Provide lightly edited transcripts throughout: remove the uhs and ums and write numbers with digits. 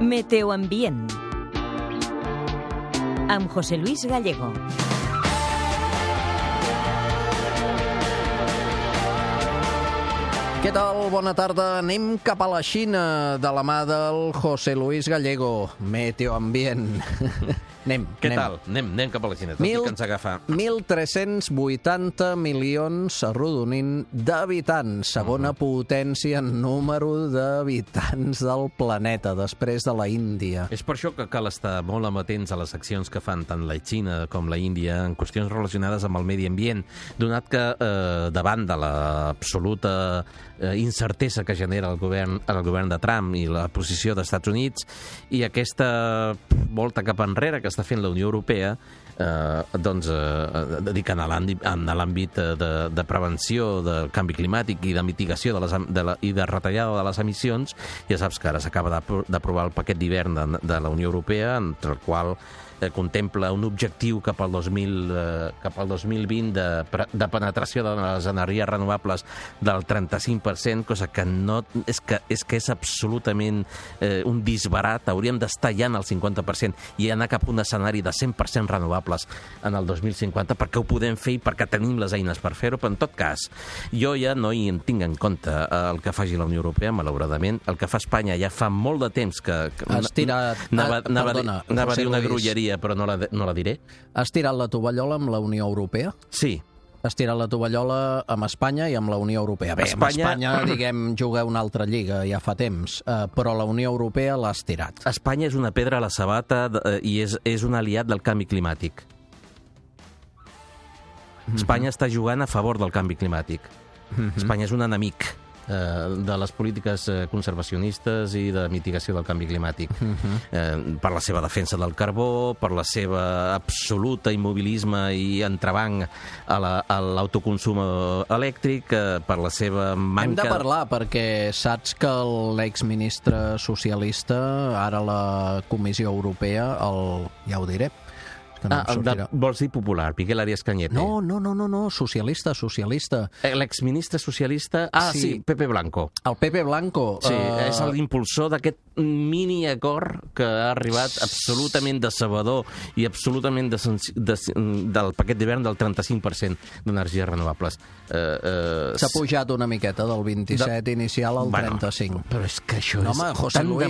Meteoambient amb José Luis Gallego. Què tal? Bona tarda. Anem cap a la Xina de la mà del José Luis Gallego. Meteoambient. Anem. Anem cap a la Xina, tot i que ens agafa. 1.380 milions, arrodonint, d'habitants. Segona potència en número d'habitants del planeta, després de la Índia. És per això que cal estar molt amatents a les accions que fan tant la Xina com la Índia en qüestions relacionades amb el medi ambient, donat que davant de l'absoluta incertesa que genera el govern de Trump i la posició dels Estats Units i aquesta volta cap enrere que està fent la Unió Europea, dedicant a l'àmbit de prevenció del canvi climàtic i de mitigació i de retallada de les emissions. Ja saps que ara s'acaba d'aprovar el paquet d'hivern de la Unió Europea, entre el qual contempla un objectiu cap al 2020 de penetració de les energies renovables del 35%, cosa que és absolutament un disbarat. Hauríem d'estar ja en el 50% i anar cap a un escenari de 100% renovables en el 2050, perquè ho podem fer i perquè tenim les eines per fer-ho. Però en tot cas, jo ja no hi tinc en compte el que faci la Unió Europea, malauradament. El que fa Espanya ja fa molt de temps que... Has tirat... Anava a dir una grolleria, però no la diré. Has tirat la tovallola amb la Unió Europea? Sí. Has tirat la tovallola amb Espanya i amb la Unió Europea. Bé, amb Espanya, diguem, juga una altra lliga ja fa temps, però la Unió Europea l'has tirat. Espanya és una pedra a la sabata i és un aliat del canvi climàtic. Espanya està jugant a favor del canvi climàtic. Espanya és un enemic de les polítiques conservacionistes i de mitigació del canvi climàtic, per la seva defensa del carbó, per la seva absoluta immobilisme i entrebanc a l'autoconsum elèctric, per la seva manca... Hem de parlar, perquè saps que l'exministre socialista, ara la Comissió Europea, ja ho diré, vols dir popular, Miguel Arias Cañete? No, socialista. L'exministre socialista... Sí, Pepe Blanco. El Pepe Blanco. Sí, és l'impulsor d'aquest mini-acord que ha arribat absolutament decebedor i absolutament del paquet d'hivern del 35% d'energies renovables. S'ha pujat una miqueta del 27 inicial al 35. Però és que això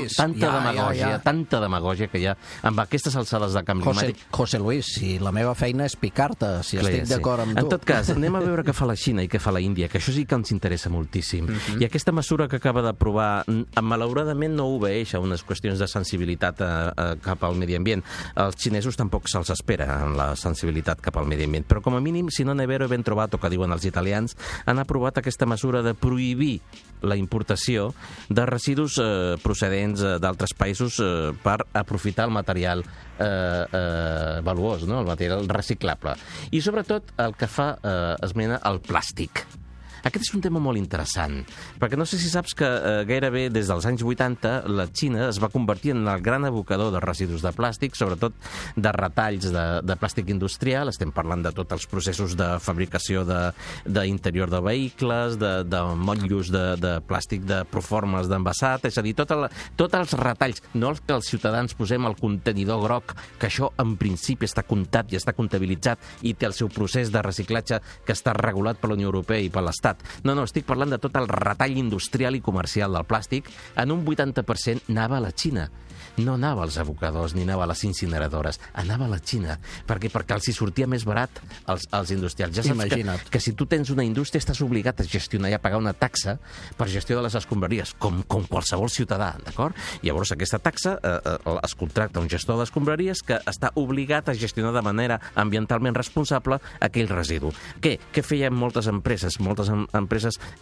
és tanta demagògia que hi ha amb aquestes alçades de canvi climàtic. José Luis, si la meva feina és picar-te, si estic d'acord amb tu. En tot cas, anem a veure què fa la Xina i què fa la Índia, que això sí que ens interessa moltíssim. I aquesta mesura que acaba d'aprovar, malauradament no obeeix a unes qüestions de sensibilitat cap al medi ambient. Els xinesos tampoc se'ls espera en la sensibilitat cap al medi ambient, però com a mínim, si no ne vero ben trovato, que diuen els italians, han aprovat aquesta mesura de prohibir la importació de residus procedents d'altres països per aprofitar el material valuós, no? El material reciclable. I sobretot el que fa esmena al plàstic. Aquest és un tema molt interessant, perquè no sé si saps que gairebé des dels anys 80 la Xina es va convertir en el gran abocador de residus de plàstic, sobretot de retalls de plàstic industrial. Estem parlant de tots els processos de fabricació d'interior de vehicles, de motllos de plàstic de proformes d'envasat, és a dir, tots els retalls, no els que els ciutadans posem al contenidor groc, que això en principi està comptat i està comptabilitzat i té el seu procés de reciclatge que està regulat per la Unió Europea i per l'Estat. No, estic parlant de tot el retall industrial i comercial del plàstic. En un 80% anava a la Xina. No anava als abocadors ni anava a les incineradores, anava a la Xina. Per què? Perquè els hi sortia més barat als industrials. Ja saps que si tu tens una indústria estàs obligat a gestionar i a pagar una taxa per gestió de les escombraries, com qualsevol ciutadà, d'acord? Llavors aquesta taxa es contracta un gestor d'escombraries que està obligat a gestionar de manera ambientalment responsable aquell residu. Què feien moltes empreses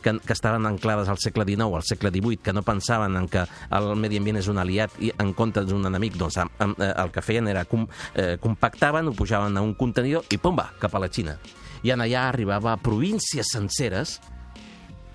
que estaven anclades al segle XIX, al segle XVIII, que no pensaven en que el medi ambient és un aliat i en comptes d'un enemic, doncs el que feien era compactaven, ho pujaven a un contenidor i pum, va, cap a la Xina. I allà arribava a províncies senceres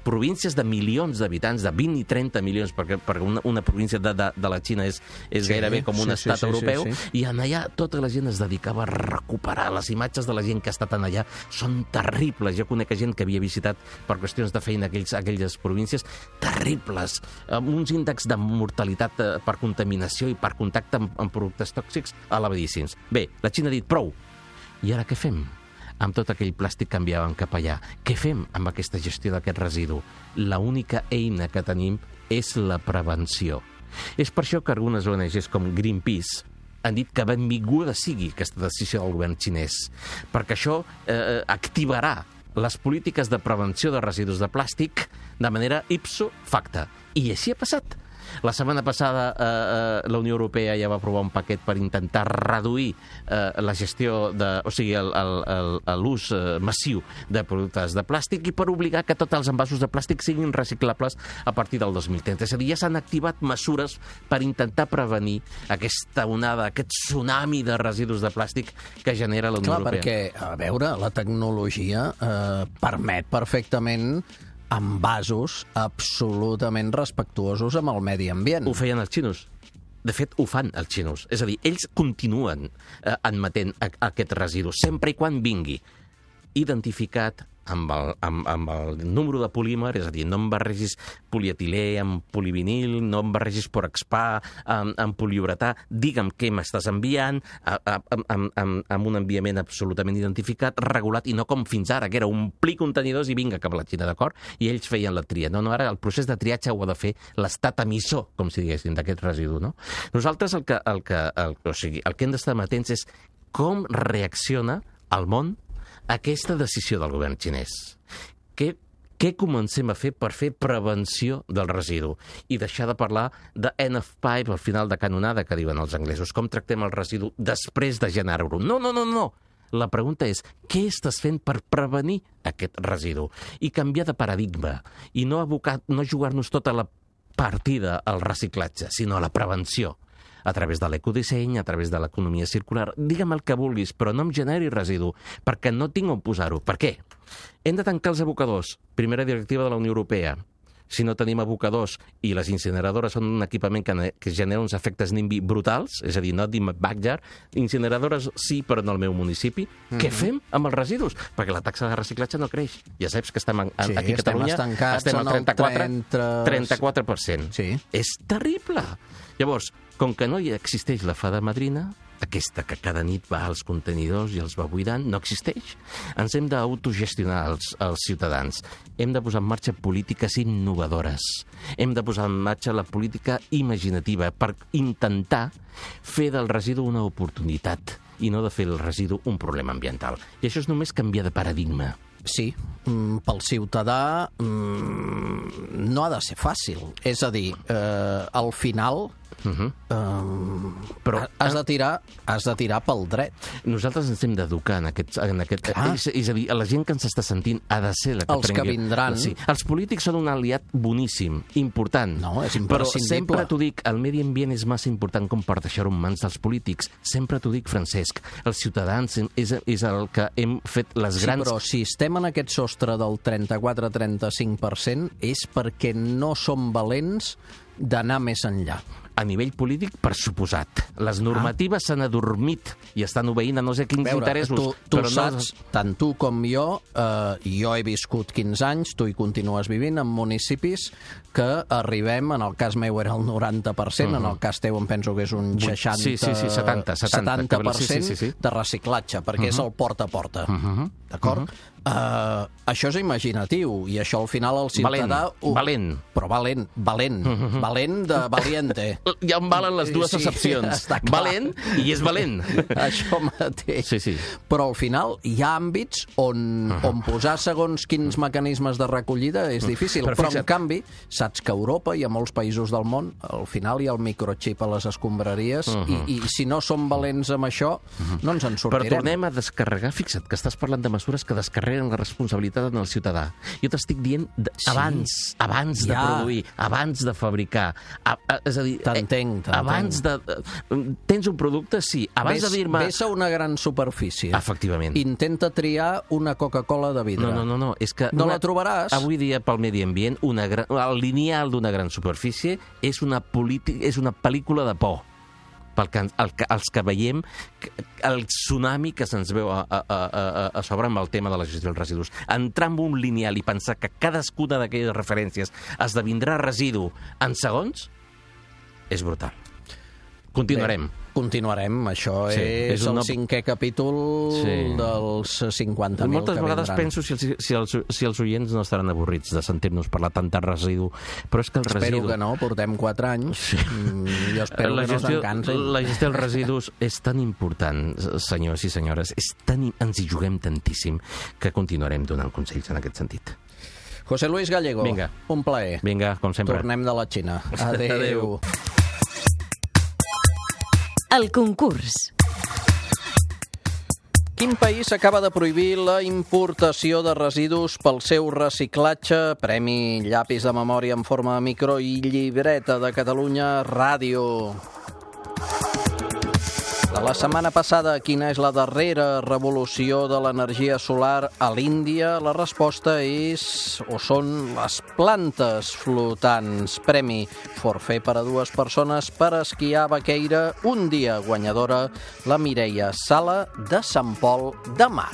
províncies de milions d'habitants, de 20 i 30 milions, perquè una província de la Xina és gairebé com un estat europeu, i allà tota la gent es dedicava a recuperar. Les imatges de la gent que ha estat allà són terribles. Jo conec gent que havia visitat per qüestions de feina aquelles províncies, terribles, amb uns índexs de mortalitat per contaminació i per contacte amb productes tòxics elevadíssims. Bé, la Xina ha dit prou. I ara què fem? Amb tot aquell plàstic que enviaven cap allà. Què fem amb aquesta gestió d'aquest residu? L'única eina que tenim és la prevenció. És per això que algunes ONGs com Greenpeace han dit que benvinguda sigui aquesta decisió del govern xinès, perquè això activarà les polítiques de prevenció de residus de plàstic de manera ipso facto. I així ha passat. La setmana passada la Unió Europea ja va aprovar un paquet per intentar reduir la gestió, o sigui, l'ús massiu de productes de plàstic i per obligar que tots els envasos de plàstic siguin reciclables a partir del 2030. És a dir, ja s'han activat mesures per intentar prevenir aquesta onada, aquest tsunami de residus de plàstic que genera la Unió Europea. Perquè, a veure, la tecnologia permet perfectament envasos absolutament respectuosos amb el medi ambient. Ho feien els xinos. De fet, ho fan els xinos. És a dir, ells continuen admetent aquest residu, sempre i quan vingui identificat amb el número de polímer, és a dir, no em barregis polietilè amb polivinil, no em barregis por expa amb poliuretà, digue'm què m'estàs enviant, amb un enviament absolutament identificat, regulat, i no com fins ara, que era omplir contenidors i vinga cap a la Xina, d'acord? I ells feien la tria. No, ara el procés de triatge ho ha de fer l'estat emissor, com si diguéssim, d'aquest residu, no? Nosaltres el que hem d'estar atents és com reacciona el món aquesta decisió del govern xinès. Què comencem a fer per fer prevenció del residu? I deixar de parlar de end of pipe, al final de canonada, que diuen els anglesos. Com tractem el residu després de generar-ho? No. La pregunta és, què estàs fent per prevenir aquest residu? I canviar de paradigma. I no jugar-nos tota la partida al reciclatge, sinó a la prevenció. A través de l'ecodisseny, a través de l'economia circular, digue'm el que vulguis, però no em generi residu, perquè no tinc on posar-ho. Per què? Hem de tancar els abocadors. Primera directiva de la Unió Europea. Si no tenim abocadors i les incineradores són un equipament que genera uns efectes NIMBY brutals, és a dir, not in my backyard, incineradores sí, però no al meu municipi, què fem amb els residus? Perquè la taxa de reciclatge no creix. Ja saps que estem aquí a Catalunya, estem al 34%. Sí. És terrible. Llavors, com que no hi existeix la fada madrina, aquesta que cada nit va als contenidors i els va buidant, no existeix. Ens hem d'autogestionar els ciutadans. Hem de posar en marxa polítiques innovadores. Hem de posar en marxa la política imaginativa per intentar fer del residu una oportunitat i no de fer el residu un problema ambiental. I això és només canviar de paradigma. Sí, pel ciutadà no ha de ser fàcil. És a dir, al final però has de tirar pel dret. Nosaltres ens hem d'educar en aquest és a dir, la gent que ens està sentint ha de ser la que els que vindran. Sí. Els polítics són un aliat boníssim, important. No, és imprescindible. Però sempre t'ho dic, el medi ambient és massa important com per deixar-ho en mans dels polítics. Sempre t'ho dic, Francesc. Els ciutadans és el que hem fet les grans... Sí, però si estem en aquest sostre del 34-35% és perquè no som valents d'anar més enllà. A nivell polític, per suposat. Les normatives s'han adormit i estan obeint a no sé quins interessos. Tu saps, tant tu com jo he viscut 15 anys, tu hi continues vivint, en municipis que arribem, en el cas meu era el 90%, en el cas teu em penso que és un 70% de reciclatge, perquè és el porta a porta. D'acord? Això és imaginatiu, i això al final el ciutadà... Valent. Però valent. Valent de valiente. Ja em valen les dues accepcions. Valent i és valent. Això mateix. Sí. Però al final hi ha àmbits on posar segons quins mecanismes de recollida és difícil. Però en canvi, saps que a Europa i a molts països del món al final hi ha el microxip a les escombraries i si no som valents amb això, no ens en sortirem. Però tornem a descarregar. Fixa't que estàs parlant de mesures que descarreguen carreguen la responsabilitat en el ciutadà. Jo t'estic dient abans de produir, abans de fabricar. És a dir, t'entenc. Abans de... Tens un producte? Sí. Abans de dir-me... Ves a una gran superfície. Efectivament. Intenta triar una Coca-Cola de vidre. No. És que no la trobaràs. Avui dia, pel medi ambient, el lineal d'una gran superfície és una pel·lícula de por. Els que veiem el tsunami que se'ns veu a sobre amb el tema de la gestió dels residus. Entrar en un lineal i pensar que cadascuna d'aquelles referències esdevindrà residu en segons és brutal. Continuarem. Continuarem. Això és el 5è capítol dels 50.000 Moltes que vegades penso si els oients no estaran avorrits de sentir-nos parlar tant de residu, però és que el residu... Espero que no, portem 4 anys. Jo espero que no se'n cansin. La gestió dels residus és tan important, senyors i senyores, ens hi juguem tantíssim que continuarem donant consells en aquest sentit. José Luis Gallego, Vinga. Un plaer. Vinga, com sempre. Tornem de la Xina. Adéu. El concurs. Quin país acaba de prohibir la importació de residus pel seu reciclatge? Premi Llapis de Memòria en forma de micro i llibreta de Catalunya Ràdio. De la setmana passada, quina és la darrera revolució de l'energia solar a l'Índia? La resposta són les plantes flotants. Premi forfait per a 2 persones per esquiar a Baqueira. Un dia guanyadora, la Mireia Sala de Sant Pol de Mar.